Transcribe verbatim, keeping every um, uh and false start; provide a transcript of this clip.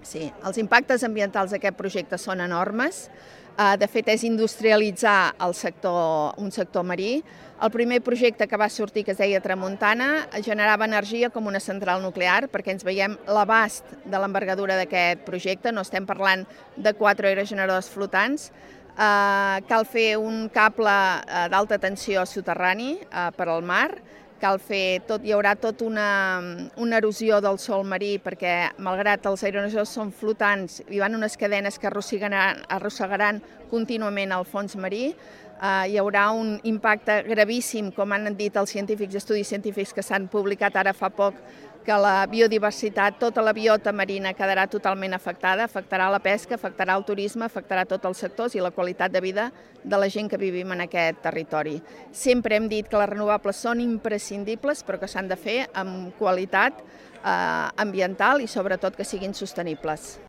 Sí, els impactes ambientals d'aquest projecte són enormes. De fet, és industrialitzar el sector, un sector marí. El primer projecte que va sortir, que es deia Tramuntana, generava energia com una central nuclear, perquè ens veiem l'abast de l'envergadura d'aquest projecte. No estem parlant de quatre aerogeneradors flotants. Uh, cal fer un cable uh, d'alta tensió soterrani uh, per al mar. Cal fer tot, hi haurà tota una, una erosió del sòl marí perquè, malgrat els aerogeneradors són flotants, hi van unes cadenes que arrossegaran, arrossegaran contínuament al fons marí. Uh, hi haurà un impacte gravíssim, com han dit els científics, estudis científics que s'han publicat ara fa poc, que la biodiversitat, tota la biota marina quedarà totalment afectada, afectarà la pesca, afectarà el turisme, afectarà tots els sectors i la qualitat de vida de la gent que vivim en aquest territori. Sempre hem dit que les renovables són imprescindibles, però que s'han de fer amb qualitat eh, ambiental i sobretot que siguin sostenibles.